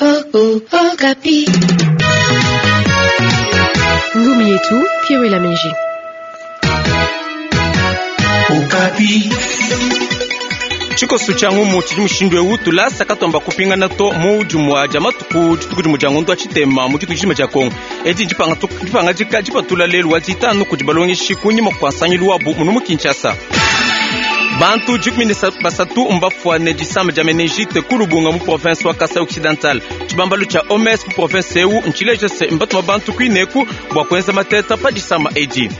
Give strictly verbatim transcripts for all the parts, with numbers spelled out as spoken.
Okapi. Ngumu yetu Pierre Lamenge. Okapi. Tshikoso tshia ngumu tshidi mushindu ewu tulasa katomba kupingana to mu dimua dia matuku dituku dimue dia ngondo wa tshitema mu dituku dijima dia Kongo. Edi ndipangadika dipatula lelu wa ditanu kudi balongeshi kunyima kua nsangilu wabu munu mu Kinshasa. Bantu dikumi ne basatu mbafuane disama dia meningite ku Lubunga mu province wa Kasai Occidental. Tshibambalu tshia O M S mu province ewu ntshileja se mbatuma bantu kuineku bua kuenza mateta pa disama edi.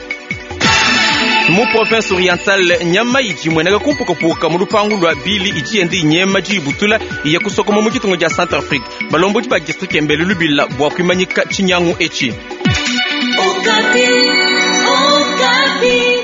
Mu province orientale, nyama idi imueneka kumpukapuka mu lupangu lua bili idi yenda inyema diyibutula iya kusokoma mu ditunga dia Centrafrique. Balombodi ba district mbele lubila bua kuimanyika tshinyangu etshi. Okapi. Okapi.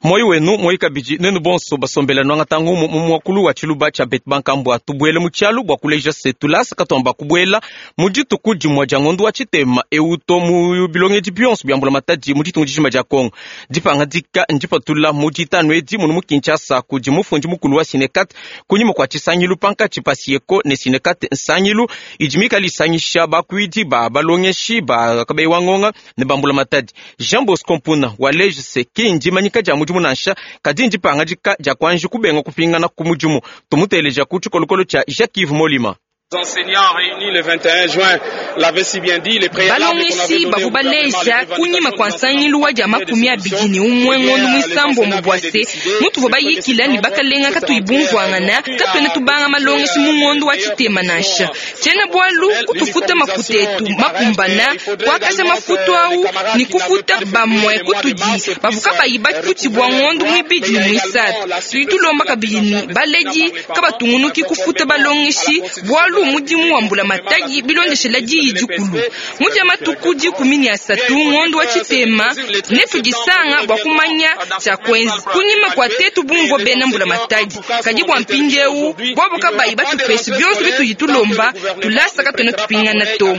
Moyo wenu moyi kabidi nenu bonso basombela nwangata ngumu mu muakulu wa tshiluba tshia betu bankambua. Tubuele mu tshialu bua kuleja se tulasa katuamba kubuela mu dituku dimue dia ngondo wa tshitema ewu to mu bilongedi bionso bia mbulamatadi mu ditunga dijima dia Kongo. Dipangadika ndipatula mu ditanu edi munu mu Kinshasa kudi mufundi mukulu wa Synecat kunyima kua tshisangilu pankatshi pa Syeko ne Synecat, nsangilu idi mikale isangisha bakuidi ba balongeshi ba kabeyi wa ngonga ne ba mbulamatadi. Jean Bosco Mpuna waleja se ki ndimanyika dia mudimu nansha, kadi ndipangadika dia kuanji kubenga kupingana ku mudimu. Tumuteleja ku tshikolokolo tshia Jacques Yves Molima. Enseignants réunis le vingt et un juin l'avaient si bien dit, les préalables. Balongeshi bavua baleja kunyima kua nsangilu wa dia makumi abidi ne umue ngondo muisambombo bua se mutuvua bayikila ne bakalenga katuyi bumvuangana, katuena tubanga malongeshi mu ngondo wa tshitema nansha. Tshiena bualu kutufuta mafuta etu makumbana, kuakaja mafutu awu ne kufuta bamue kutudi bavua kabayi bafutshibua ngondo muibidi ne muisatu. Tudi tulomba kabidi ne baledi kabatungunuki kufuta balongeshi, bualu mudimu wa mbulamatadi bilondeshela diyi dikulu. Mu dia matuku dikumi ne asatu ngondo wa tshitema netudisanga bua kumanya tshia kuenza kunyima kua tetu bumvua bena mbulamatadi. Kadi bua mpindieu bobo kabayi batupeshe bionso bitudi tulomba, tulasa katuena tupingana to.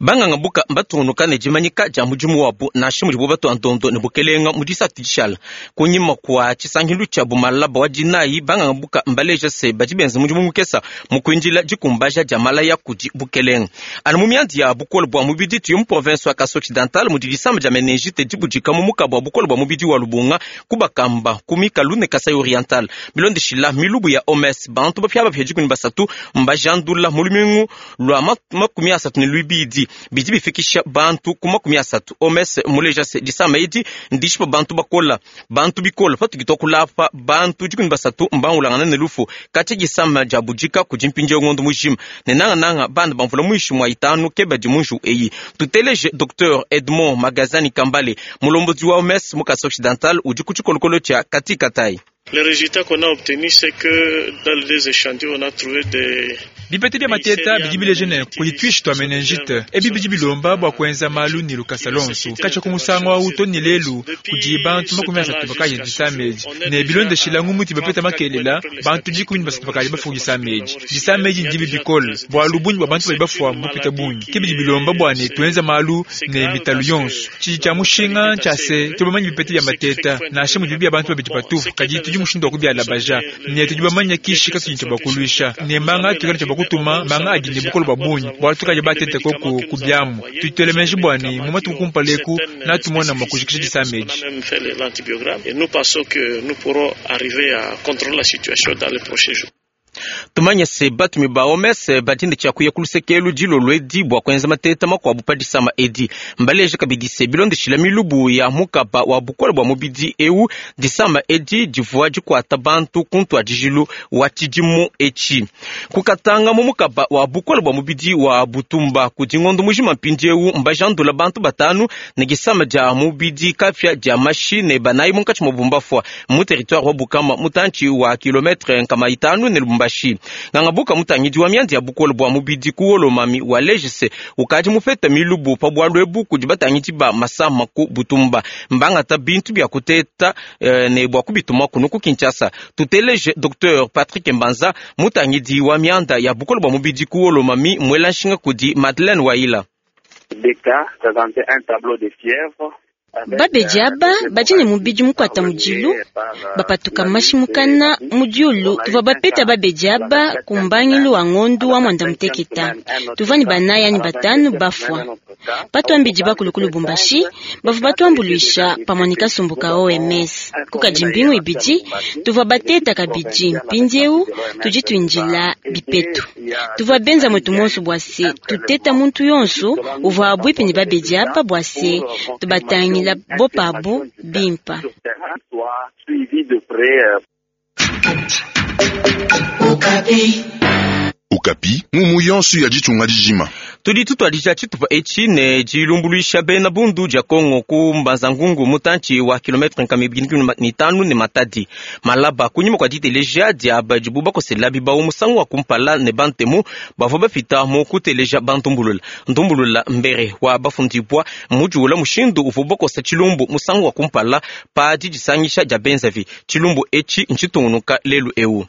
Banganga buka mbatungunuka ne dimanyika dia mudimu wabu nansha mudibo batua ndondo ne bukelenga mu disatu dishala. Kunyima kua tshisangilu tshia bumalaba wa dinayi, banganga buka mbaleja se badi benza mudimu mukesa mu kuindila dikumbaja dia malaya kudi bukelenga. Anu mu miandi ya bukole bua mubidi, tuye mu province wa Kasai Occidental mudi disama dia meningite dibudika mu mukaba wa bukole bua mubidi wa Lubunga kubakamba ku mikalu ne Kasai Oriental. Bilondeshila milubu ya O M S, bantu bapia bapia dikumi basatu mbajandula mu lumingu lua makumi asatu ne luibidi, bidi bifikisha bantu ku makumi asatu. O M S muleja se disama edi ndishipa bantu bakola bantu bikola. Patudi tuakulapa, bantu dikumi basatu mbangulangana ne lufu katshia disama dia budika kudi mpindieu ngondo mujima, ne nangananga bana bamvula muinshi mua itanu ke badi mu nju eyi. Tuteleje Docteur Edmond Magazani Kambale, mulombodi wa O M S mu Kasai Occidental, udi ku tshikolokolo tshia Katikatayi. Le résultat qu'on a obtenu, c'est que dans les échantillons, on a trouvé des Bipeta bia mateta bidi bileja ne kudi tuishi tua meningite. Ebi bidi bilomba bua kuenza malu ne lukasa lonso. Katshia ku musangu awu to ne lelu, kudi bantu makumi asatu bakayi disama edi, ne bilondeshila ngumu bapeta makelela, bantu dikumi ne basatu bakayi bafua disama edi. Disama edi ndibi bikole bualu bungi bua bantu badi bafua mbupita bungi. Ke bidi bilomba bua ne tuenza malu ne mitalu yonso. Tshidi tshia mushinga ntshia se tudi bamanye bipeta bia mateta, nansha mudibi bia bantu babidi patupu, kadi tudi mushindu wa kubialabaja ne tudi bamanye kishi katudi tshia bakuluisha ne manga tukala tshia bakutuma manga adi ne bukole bua bungi, bualu tukaji batete koku ku biamu. Tudi tuela meji bua ne mu matuku kumpala eku natumona mua kujikisha disama edi. Et nous pensons que nous pourrons arriver à contrôler la situation dans les prochains jours. Tumanye se batumi ba O M S badi ne tshia kuya ku lusekelu dilolo edi bua kuenza mateta makuabu pa disama edi. Mbaleja kabidi se bilondeshila milubu ya mukaba wa bukole bua mubidi ewu, disama edi divua dikuata bantu ku ntuadijilu wa tshidimu etshi. Kukatanga mu mukaba wa bukole bua mubidi wa Butumba, kudi ngondo mujima mpindieu mbajandula bantu batanu ne disama dia mubidi kapia dia mashi ne banayi munkatshi mua bumbafua mu territoire wa Bukama, mutantshi wa kilometre nkama itanu ne Lubumbashi. Ngangabuka mutangidi wa miandi ya bukole bua mubidi ku Haut-Lomami waleja se ukadi mupeta milubu pa bualu ebu kudi batangidi ba masama ku Butumba. Mbangata bintu bia kuteta eh, ne bua kubituma kunu ku Kinshasa. Tuteleje Docteur Patrick Mbanza, mutangidi wa mianda ya bukole bua mubidi ku Haut-Lomami, mwela nshinga kudi Madeleine Waila. Des cas présentaient un tableau de fièvre. Babedi aba badi ne mubidi mukwata mudilu bapatuka mashimukana mu diulu. Tuvua bapeta babedi aba ku mbangilu wa ngondu wa mwanda muteketa. Tuvua ne banayi anyi batanu bafua. Patwambidi bakulu ku Lubumbashi bavua batuambuluisha pamue ne kasumbu ka O M S. Kukadi mbingu ibidi tuvua bateta kabidi, mpindieu tudi tuindila bipetu. Tuvua benza mwetu monso bua se tuteta muntu yonso uvua abwipi ne babedi aba bua se tubatangila bopabu bimpa. Okapi mumu yonso ya ditunga dijima. Tudi tutwadija tshitupa etshi ne dilumbuluisha bena bundu dia Kongo ku Mbanza-Ngungu mutantshi wa kilometre nkama ibidi ne tanu ne Matadi malaba kunyima kwa diteleja dia badibu bakosela bibawu musangu wa kumpala ne bantemu bavua bapita mu kuteleja bantumbulula ntumbulula mbere wa bafundibwa mudiula mushindu uvua bakosa tshilumbu musangu wa kumpala pa didisangisha dia benzavi. Tshilumbu etshi ntshitungunuka lelu eu.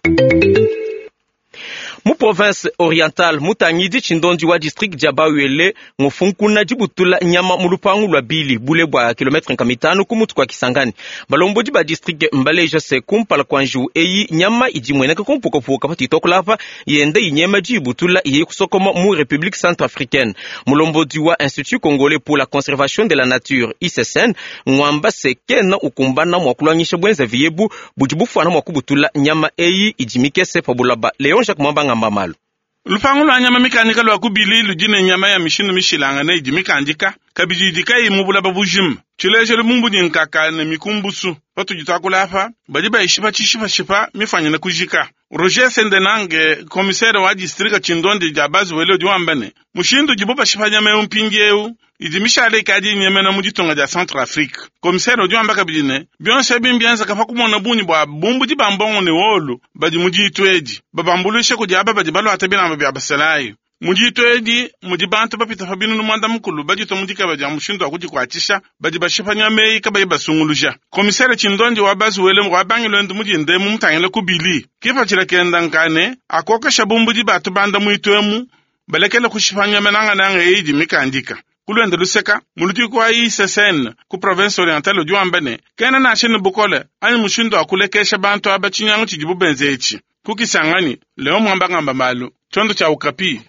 Mu province orientale mutangidi tshindondi wa district dia Bawele ngufunkuna dibutula nyama mu lupangu lwa bili bule bwa kilometre nkama itanu ku mutu kwa Kisangani. Balombodi ba district mbaleja se kumpala kwa njiwu eyi nyama idi imueneka kumpukapuka patito kulapa yende inyema dibutula iye kusokoma mu République Centrafricaine. Mulombodi wa Institut Congolais pour la Conservation de la Nature I C S N ngwamba se kena ukumbana mwa kulwangisha bwenza viyebu budi bufwana mwa kubutula nyama eyi idi mikese pa bulaba. Leon Jacques Mwamba ngamba malu. Lupangu lwa nyama mikandika lwa kubili ludine nyama ya mishindu mishilanga ne idi mikandika kabidi idi kayi mu bulaba bujima. Tshilejelu mumbu nkaka ne mikumbusu patudi tuakula badi bayishipa tshishipashipa mifanyine kujika. Roger Sendenange commissaire wa district tshindondi dia Bazuwele udi wamba ne mushindu udibo bashipa nyama eu mpindiewu idi mishale ikadi inyemena mu ditunga dia Centrafrique. Commissaire udi wamba kabidi ne bionso ebi mbienzeka pa kumona bungi bua bumbudi ba mbongo ne wolu badi mu ditu edi babambuluishe kudi aba badi baluata bilamba bia basalayi. Mu ditu edi mudi bantu bapita pa binunu mwanda mukulu baditwa mu dikaba dia mushindu wa kudikuatshisha badi bashipa nyama eyi kabayi basunguluja. Komisere tshindondi wa Bazuwele wa bangilwendu mudinde mu mutangile kubili kipatshila kenda nkane akokesha bumbudi batu banda muitu emu balekele kushipa nyama nangananga eyi idi mikandika. Kulwenda luseka mulutiko wa I C S N ku province orientale udi wamba ne kena nansha ne bukole anyi mushindu wa kulekesha bantu aba tshinyangu tshidibu benze etshi. Ku Kisangani, Leon Mwamba ngamba malu tshiondo tshia Okapi.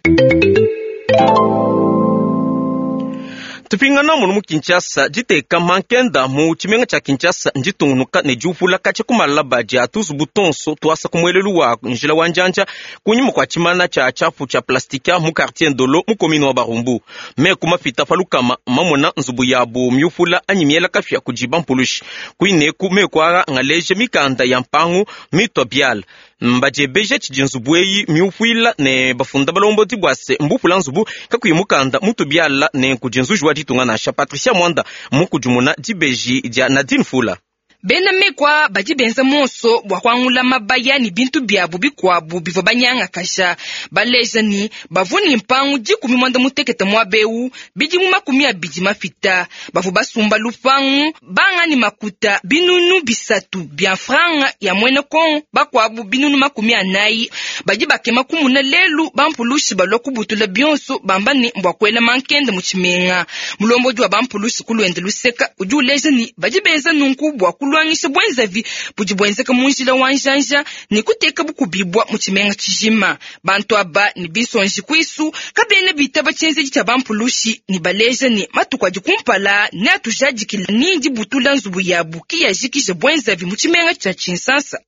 Tupingana munu mu Kinshasa diteka mankenda mu tshimenga tshia Kinshasa nditungunuka ne diupula katshia ku malaba dia tuzubu tonso tuasa ku muelelu wa njila wa njanja kunyima kua tshimana tshia tshiapu tshia plastika mu quartier Ndolo mu commune wa Barumbu. Meku mapita pa lukama mamona nzubu yabu miupula anyi miela kafia kudi bampulushi. Kuineku meku ara ngaleje mikanda ya mpangu mitwa biala. Mbadiebeja tshidi nzubu eyi miupuila ne bafunda balombodi bua se mbupula nzubu kakuyi mukanda mutu biala ne kudi nzuji wa ditunga nansha. Patricia Mwanda mukudimuna dibeji dia Nadine Fula. Bena mekwa badi benza monso bua kuangula mabaya ni bintu biabu bikuabu bivua banyangakaja. Baleja ni bavua ni mpangu dikumi mwanda mutekete muabeu bidimu makumi abidi mapita. Bavua basumba lupangu banga ni makuta binunu bisatu bia franga ya mwene Kongo bakuabu binunu makumi anayi. Badi bakema kumuna lelu bampulushi balua kubutula bionso bamba ni mbua kuela mankende mu tshimenga. Mulombodi wa bampulushi kulwende luseka udi uleja ni badi benza nunku bua kulwangisha bwenzavi budi bwenzeka mu njila wa njanja ni kuteka bukubibwa mu tshimenga tshijima. Bantu aba ni bisonji kwisu kabena bitaba tshienzedi tshia bampulushi ni baleja ni matuku adi kumpala ne atujadikila ni dibutula nzubu yabu kiyajikija bwenzavi mu tshimenga tshia Tshinsansa.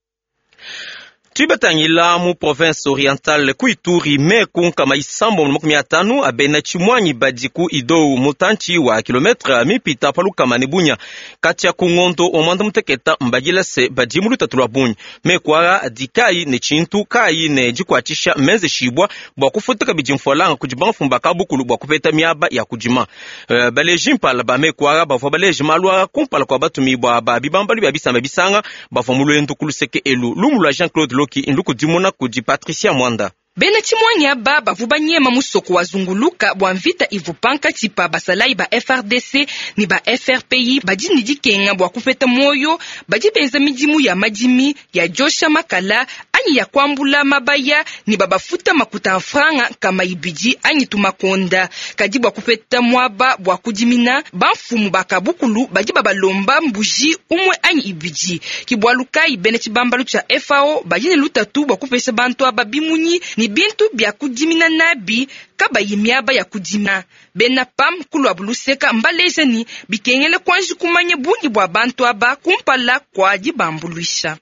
Tubatangila mu province orientale ku Ituri meku nkama isambo makumi atanu abena tshimwanyi badi ku Idou mutantshi wa kilometre mipita pa lukama ne bunya katia ku ngondo wa mwanda muteketa mbagila se badi mu lutatu lwa bunyi meku ara adi kayi ne tshintu kayi ne dikuatshisha menze shibwa bua kufuta kabidi mfualanga kudi bamfumba ka bukulu bua kupeta miaba ya kudima. Uh, baleji mpala ba meku ara bavua baleji malu ara kumpala kua batumibua ba bibambalu bia bisamba bisanga bavua mu lwendu ku luseke elu. Lumu lua Jean-Claude Loki ndukudimuna kudi Patricia Mwanda. Bena tshimwanyi aba bavua banyema musoko wa zunguluka bua mvita ivu pankatshi pa basalayi ba F R D C ni ba F R P I badi ni dikenga bua kupeta moyo badi benza midimu ya madimi ya josha makala anyi ya kuambula mabaya ne babafuta makuta a mfranga nkama ibidi anyi tumakonda. Kadi bua kupeta muaba bua kudimina, bamfumu ba kabukulu badi babalomba mbuji umwe anyi ibidi. Ki bualu kayi bena tshibambalu tshia F A O badi ne lutatu bua kupesha bantu aba bimunyi ne bintu bia kudimina nabi kabayi miaba ya kudima. Bena PAM kulwa buluseka mbaleja ni bikengele kwanji kumanya bungi bua bantu aba kumpala kwa dibambuluisha.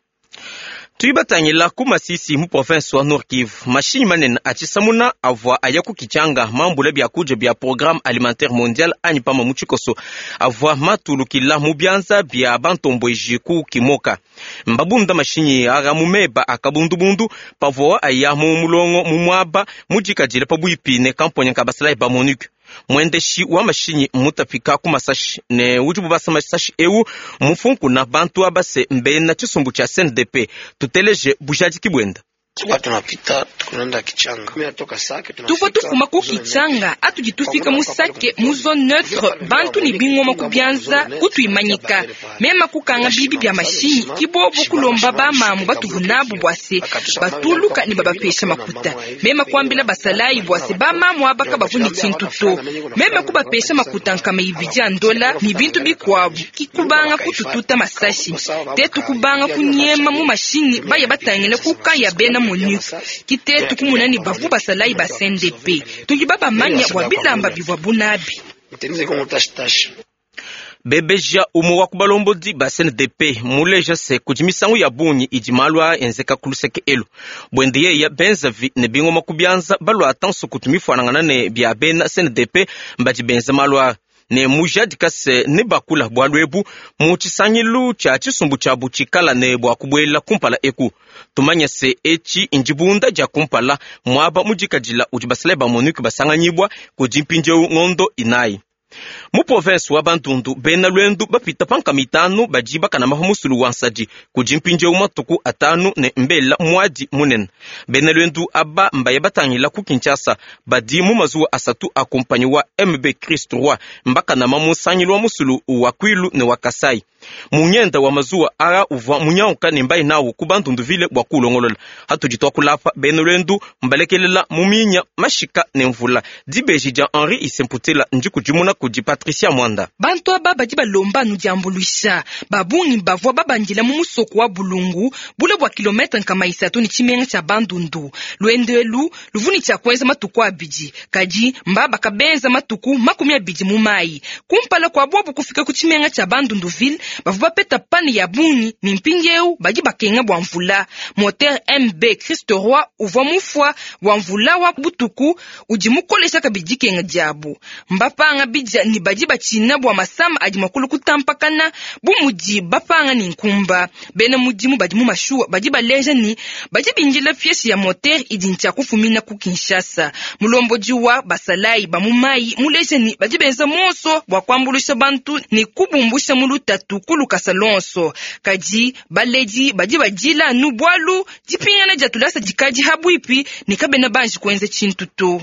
Tuibatangila ku Masisi mu province wa Nord Kivu, mashinyi manene atshisamuna avua aya ku Kichanga mambula bia kudia bia Programme Alimentaire Mondial anyi pama mu tshikoso avua matulukila mu bianza bia bantombweji ku Kimoka. Mbabunda mashinyi ara mu meba akabundubundu pavua aya mu mulongo mu muaba mudikadile pabuipi ne kamponya ka basalayi ba MONUC. Mwendeshi wa mashinyi mutapika ku masashi ne udi bubasa masashi eu mufunkuna bantu abase mbena tshisumbu tshia C N D P tuteleje bujadiki bwenda. Tuvua tufuma ku Kichanga atudi tufika mu Sake mu zone neutre bantu ni bingoma ku bianza kutuimanyika mema kukanga bibi bya mashinyi kibobo kulomba ba mamu batuvunabu bwase batuluka ni babapesha makuta mema kuambila basalayi bwase ba mamu abaka bavuni tshintu to mema kubapesha makuta nkama ibidi ya ndola ni bintu bikwabu kikubanga kutututa masashi tetu kubanga kunyema mu mashinyi baya batangila kukaya bena MONUC kitetu kumuna ni bavu basalayi ba C N D P tudi babamanya bua bilamba bivua bunabi. Bebeja umu wa kubalombodi ba C N D P muleja se kudi misangu ya bungi idi malu a enzeka ku luseke elu bwende yeya benzavi ne bingoma ku bianza balwa tanso kutu mifuanangana ne bia bena C N D P mbadi benza malu a ne mujadika se ne bakula bwalu ebu mu tshisangilu tshia tshisumbu tshia tshikala ne bua kubuela kumpala eku tumanya se etshi ndibunda dia kumpala muaba mudikadila udi basalayi ba MONUC basanganyibwa kudi mpindieu ngondo inayi. Mu province wa Bandundu bena lwendu bapita panka mitanu badi bakana maha musulu wa nsadi kudi mpindieu matuku atanu ne mbela mwadi munene. Bena lwendu aba mbaye batangila ku Kinshasa badi mu mazuwa asatu a kompanyi wa M B Christ Roi mbakana mamusangilu wa musulu wa Kwilu ne wa Kasai. Munyenda wa mazuwa ara uvwa munyauka ne mbaye nawo ku Bandundu ville bwa kulongolola hatudi twakulapa bena lwendu mbalekelela muminya mashika ne mvula dibeji dia Henri Isemputela ndikudimuna kudi Patricia Mwanda. Bantu aba badi balomba nu diambuluisha babungi bavua babandila mu musoko wa Bulungu bule bua kilometre nkama isatu ni tshimenga tshia Bandundu lwendo elu luvuni tshia kuenza matuku abidi kadi mbaba kabenza matuku makumi abidi mu mayi kumpala kwa bobu kufika ku tshimenga tshia Bandundu ville bavua bapeta pane ya bungi ni mpindieu badi bakenga bua mvula. Moteur M B Christ Roi uvua mufua wa mvula wa butuku udi mukolesha kabidi kenga diabu mbapanga bidia ni badi bachina bua masama adi makulu kutampakana bu mudi bapanga ni nkumba bena mudimu badi mu mashuwa badi baleja ni badi bindila pièce ya moteur idi ntshia kufumina ku Kinshasa. Mulombodi wa basalayi ba mu mayi muleja ni badi benza monso bua kuambulusha bantu ni kubumbusha mu lutatu kulukasa lonso kadi baledi badi badila nu bwalu dipingana dia tulasa dikadi habwipi ni kabena banji kuenza tshintu to.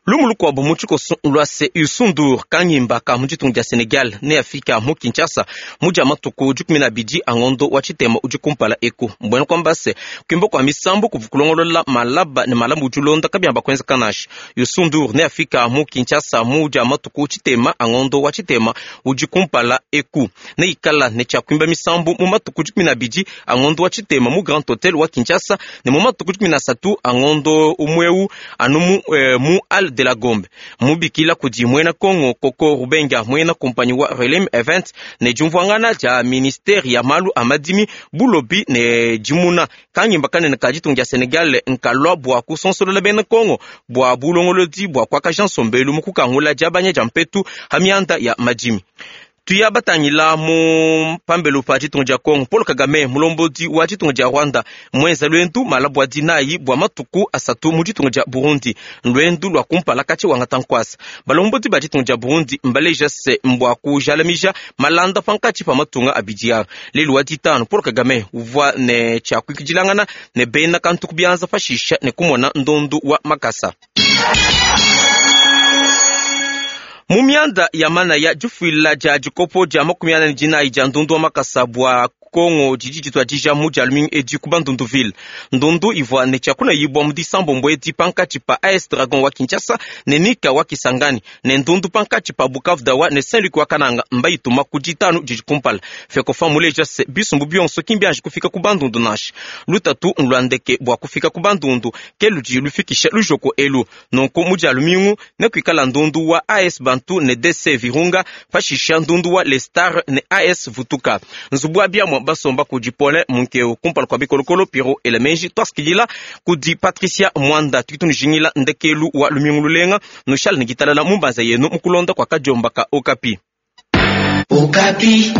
Lumulu kwabu mu tshikoso lwa se Youssou N'Dour kanyimba ka mu ditunga dia Senegal ne Afrika mu Kinshasa mu dia matuku dikumi na abidi a ngondo wa tshitema udi kumpala eku mbwena kwamba se kuimba kwa misambu kuvu kulongolola malaba ne malambu udi ulonda kabiamba kuenza kanashi. Youssou N'Dour ne Afrika mu Kinshasa mu dia matuku tshitema a ngondo wa tshitema udi kumpala eku ne ikala ne tshia kuimba misambu mu matuku dikumi na abidi a ngondo wa tshitema mu Grand Hotel wa Kinshasa ne mu matuku dikumi na asatu a ngondo umweu anu mu, eh, mu Al de la Gombe mubikila kudi mwena Kongo Koko Rubenga mwena kompanyi wa Relem Event ne jumvwangana ja ministeri ya malu amadimi bulobi ne jimuna kanyimba kanene ka ditunga dia Senegal nkalwa bua kusonsolola bena Kongo bua bulongolodi bua kuakaja nsombelu mu kukangula diabanya dia mpetu ha mianda ya madimi. Tuya batangila mu pambelo pa ditunga dia Kongo Paul Kagame mulombodi wa ditunga dia Rwanda mwenza lwendu malabu wa dinayi bua matuku asatu mu ditunga dia Burundi lwendu lwa kumpala kati wangata nkwasa balombodi ba ditunga dia Burundi mbaleja se mbwa kujalamija malanda pankatshi pa matunga abidi lelu wa ditano Paul Kagame uvua ne tshia kuikidilangana ne bena kantu kubianza pashisha ne kumona ndondu wa makasa. Mu mianda ya mana ya difuila dia dikopo dia makumi ana ne dinayi dia ndundu wa makasa bua Kongo didi dituadija mu dia lumingu edi ku Bandunduville. Ndundu ivua ne tshiakunayibwa mu disambombo edi pankatshi pa A S Dragon wa Kinshasa ne Nika wa Kisangani, ne ndundu pankatshi pa Bukavu Dawa ne Saint Luc wa Kananga mbayituma ku ditanu didi kumpala. Fekofa muleja se bisumbu bionso kimbianji kufika ku Bandundu nansha. Lutatu nlwandeke bua kufika ku Bandundu ke ludi lufikisha lujoko elu. Nunku mu dia lumingu nekuikala ndundu wa A S Bantu ne D C Virunga, pashisha ndundu wa Les Stars ne A S Vutuka. Nzubu wa biamwa basomba kudi Paulin Munkeu, kumpala kwa bikolokolo Piro Elemenji. Twasikilila kudi Patricia Mwanda. Tukitunujingila ndekelu wa lumingu lulenga, nushale ne gitalala mumbanza yenu mukulonda kwa kadiomba ka Okapi. Okapi.